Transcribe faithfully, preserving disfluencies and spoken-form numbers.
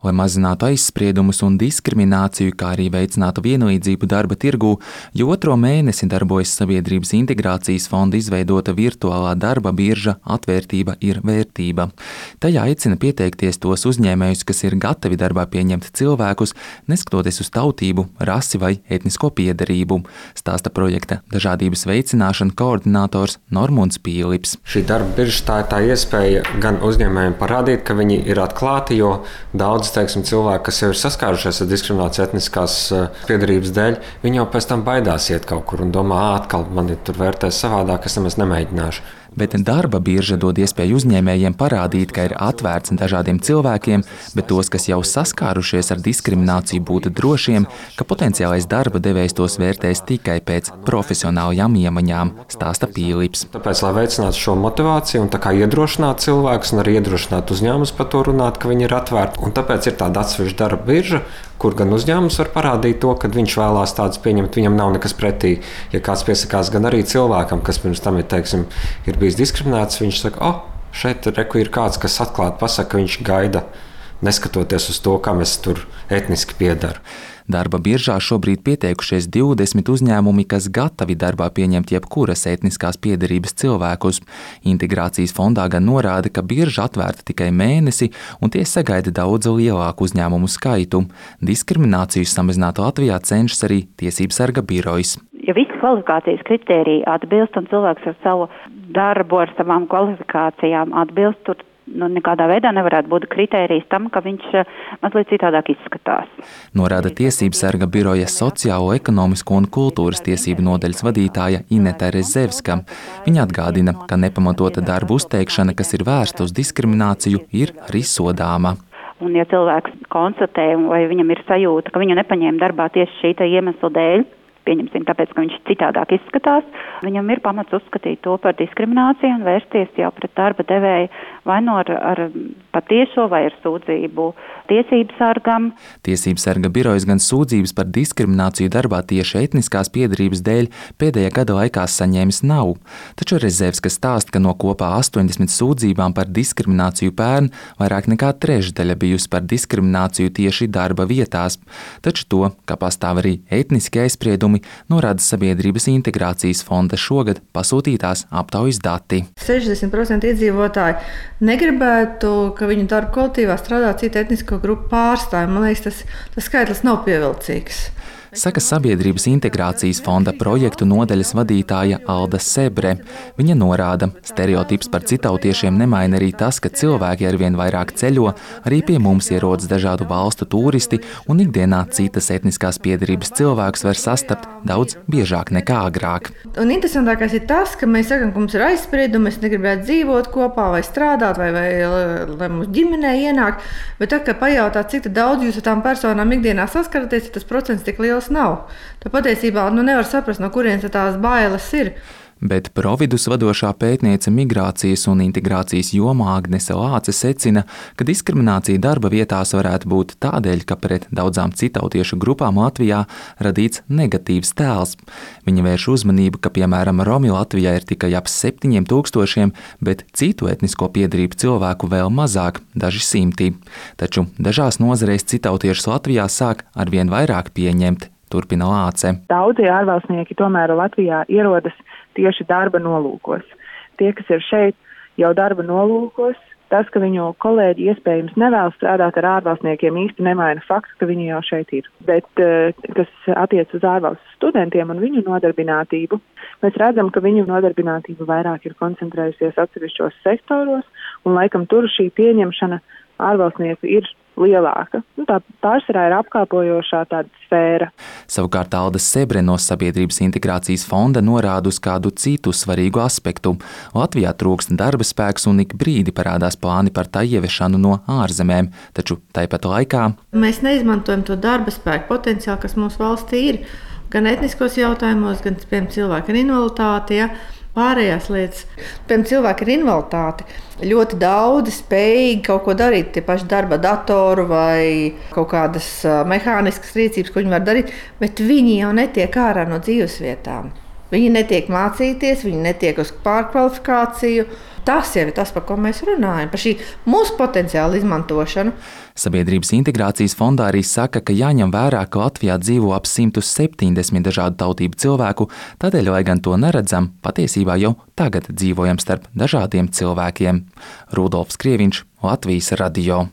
Lai mazinātu aizspriedumus un diskrimināciju, kā arī veicinātu vienlīdzību darba tirgū, jau otro mēnesi darbojas Sabiedrības integrācijas fonda izveidota virtuālā darba birža Atvērtība ir vērtība. Tajā aicina pieteikties tos uzņēmējus, kas ir gatavi darbā pieņemt cilvēkus, neskatoties uz tautību, rasi vai etnisko piederību, stāsta projekta dažādības veicināšana koordinators Normunds Pīlips. Šī darba birža tā ir tā iespēja gan uzņēmējiem parādīt, ka viņi ir atklāti, jo daudz Teiksim, cilvēki, kas jau ir saskārušies ar diskrimināciju etniskās piedarības dēļ, viņi jau pēc tam baidās iet kaut kur un domā, atkal mani tur vērtēs savādāk, es nemaz nemēģināšu. Bet darba birža dod iespēju uzņēmējiem parādīt, ka ir atvērts dažādiem cilvēkiem, bet tos, kas jau saskārušies ar diskrimināciju, būtu drošiem, ka potenciālais darba devējs tos vērtēs tikai pēc profesionālajām iemaņām, stāsta Pīlips. Tāpēc, lai veicinātu šo motivāciju un tā kā iedrošināt cilvēkus un arī iedrošināt uzņēmumus par to runāt, ka viņi ir atvērti. Un tāpēc ir tāda atsevišķa darba birža, kur gan uzņēmums var parādīt to, ka viņš vēlās tādus pieņemt, viņam nav nekas pretī. Ja kāds piesakās, gan arī cilvēkam, kas pirms tam ir, teiksim, ir bijis diskriminēts, viņš saka, o, oh, šeit reku ir kāds, kas atklāti pasaka, ka viņš gaida, neskatoties uz to, kam es tur etniski piedaru. Darba biržā šobrīd pieteikušies divdesmit uzņēmumi, kas gatavi darbā pieņemt jebkuras etniskās piederības cilvēkus. Integrācijas fondā gan norāda, ka birža atvērta tikai mēnesi un tie sagaida daudz lielāku uzņēmumu skaitu. Diskrimināciju samazināt Latvijā cenšas arī Tiesību sarga birojas. Ja visi kvalifikācijas kritēriji atbilst un cilvēks ar savu darbu, ar savām kvalifikācijām atbilst, tur nu, nekādā veidā nevarētu būt kritērijs tam, ka viņš mazliet citādāk izskatās. Norāda Tiesību sarga biroja sociālo, ekonomisko un kultūras tiesību nodaļas vadītāja Ineta Rezevska. Viņa atgādina, ka nepamatota darba uzteikšana, kas ir vērsta uz diskrimināciju, ir arī sodāma. Un ja cilvēks konstatē, vai viņam ir sajūta, ka viņu nepaņēma darbā tieši šī iemesla dēļ, pieņemsim, tāpēc, ka viņš citādāk izskatās, viņam ir pamats uzskatīt to par diskrimināciju un vērsties jau pret darba devēju vai no ar, ar patiešo vai ar sūdzību Tiesību sargam. Tiesību sarga birojas gan sūdzības par diskrimināciju darbā tieši etniskās piedarības dēļ pēdējā gada laikā saņēmis nav. Taču Rezevska stāsta, ka no kopā astoņdesmit sūdzībām par diskrimināciju pērn vairāk nekā trešdaļa bijusi par diskrimināciju tieši darba vietās. Taču to, ka pastāv arī etniski aizspriedumi, norāda Sabiedrības integrācijas fonda šogad pasūtītās aptaujas dati. sešdesmit procenti iedzīvotāji negribētu, ka viņu darba kolektīvā strādā cita etnisko grupu pārstāvji. Man liekas, tas, tas skaitlis nav pievilcīgs. Saka Sabiedrības integrācijas fonda projektu nodaļas vadītāja Alda Sebre. Viņa norāda, stereotips par citautiešiem nemaina arī tas, ka cilvēki arvien vairāk ceļo, arī pie mums ierodas dažādu valstu turisti un ikdienā citas etniskās piederības cilvēkus var sastapt daudz biežāk nekā agrāk. Un interesantākais ir tas, ka mēs sakam, ka mums ir aizspriedumi, mēs negribētu dzīvot kopā vai strādāt vai, vai lai mums ģimenē ienāk, bet tā, ka pajautāt, cik daudz jūs ar tām personām ikdienā saskaraties, tas procents tik liels nav. Tā patiesībā nu, nevar saprast, no kurienes tās bailes ir. Bet Providus vadošā pētniece migrācijas un integrācijas jomā Agnese Lāce secina, ka diskriminācija darba vietās varētu būt tādēļ, ka pret daudzām citautiešu grupām Latvijā radīts negatīvs tēls. Viņa vērš uzmanību, ka, piemēram, Romi Latvijā ir tikai ap septiņiem tūkstošiem, bet citu etnisko piederību cilvēku vēl mazāk, daži simti. Taču dažās nozarēs citautiešus Latvijā sāk arvien vairāk pieņemt, turpina Lāce. Daudzi ārvalstnieki tomēr Latvijā ierodas tieši darba nolūkos. Tie, kas ir šeit jau darba nolūkos, tas, ka viņu kolēģi iespējams nevēlas strādāt ar ārvalstniekiem, īsti nemaina fakts, ka viņi jau šeit ir. Bet, kas attiec uz ārvalstu studentiem un viņu nodarbinātību, mēs redzam, ka viņu nodarbinātība vairāk ir koncentrējusies atsevišķos sektoros, un laikam tur šī pieņemšana ārvalstnieku ir lielāka. Nu, tā pārsvarā ir apkalpojošā tāda sfēra. Savukārt Alda Sebre no Sabiedrības integrācijas fonda norāda uz kādu citu svarīgu aspektu. Latvijā trūkst darba spēks un ik brīdi parādās plāni par tā ieviešanu no ārzemēm, taču tāpat laikā mēs neizmantojam to darba spēku potenciālu, kas mūsu valstī ir, gan etniskos jautājumos, gan piemēram cilvēku ar invaliditāti, ja? Pārējās lietas. Piemēram, cilvēki ar invaliditāti ļoti daudzi spējīgi kaut ko darīt, tie paši darba datoru vai kaut kādas mehāniskas rīcības, ko viņi var darīt, bet viņi jau netiek ārā no dzīvesvietām. Viņi netiek mācīties, viņi netiek uz pārkvalifikāciju. Tas jau ir tas, par ko mēs runājam, par šī mūsu potenciāla izmantošanu. Sabiedrības integrācijas fondā arī saka, ka jāņem vērā, ka Latvijā dzīvo ap simt septiņdesmit dažādu tautību cilvēku, tādēļ, lai gan to neredzam, patiesībā jau tagad dzīvojam starp dažādiem cilvēkiem. Rudolfs Krieviņš, Latvijas radio.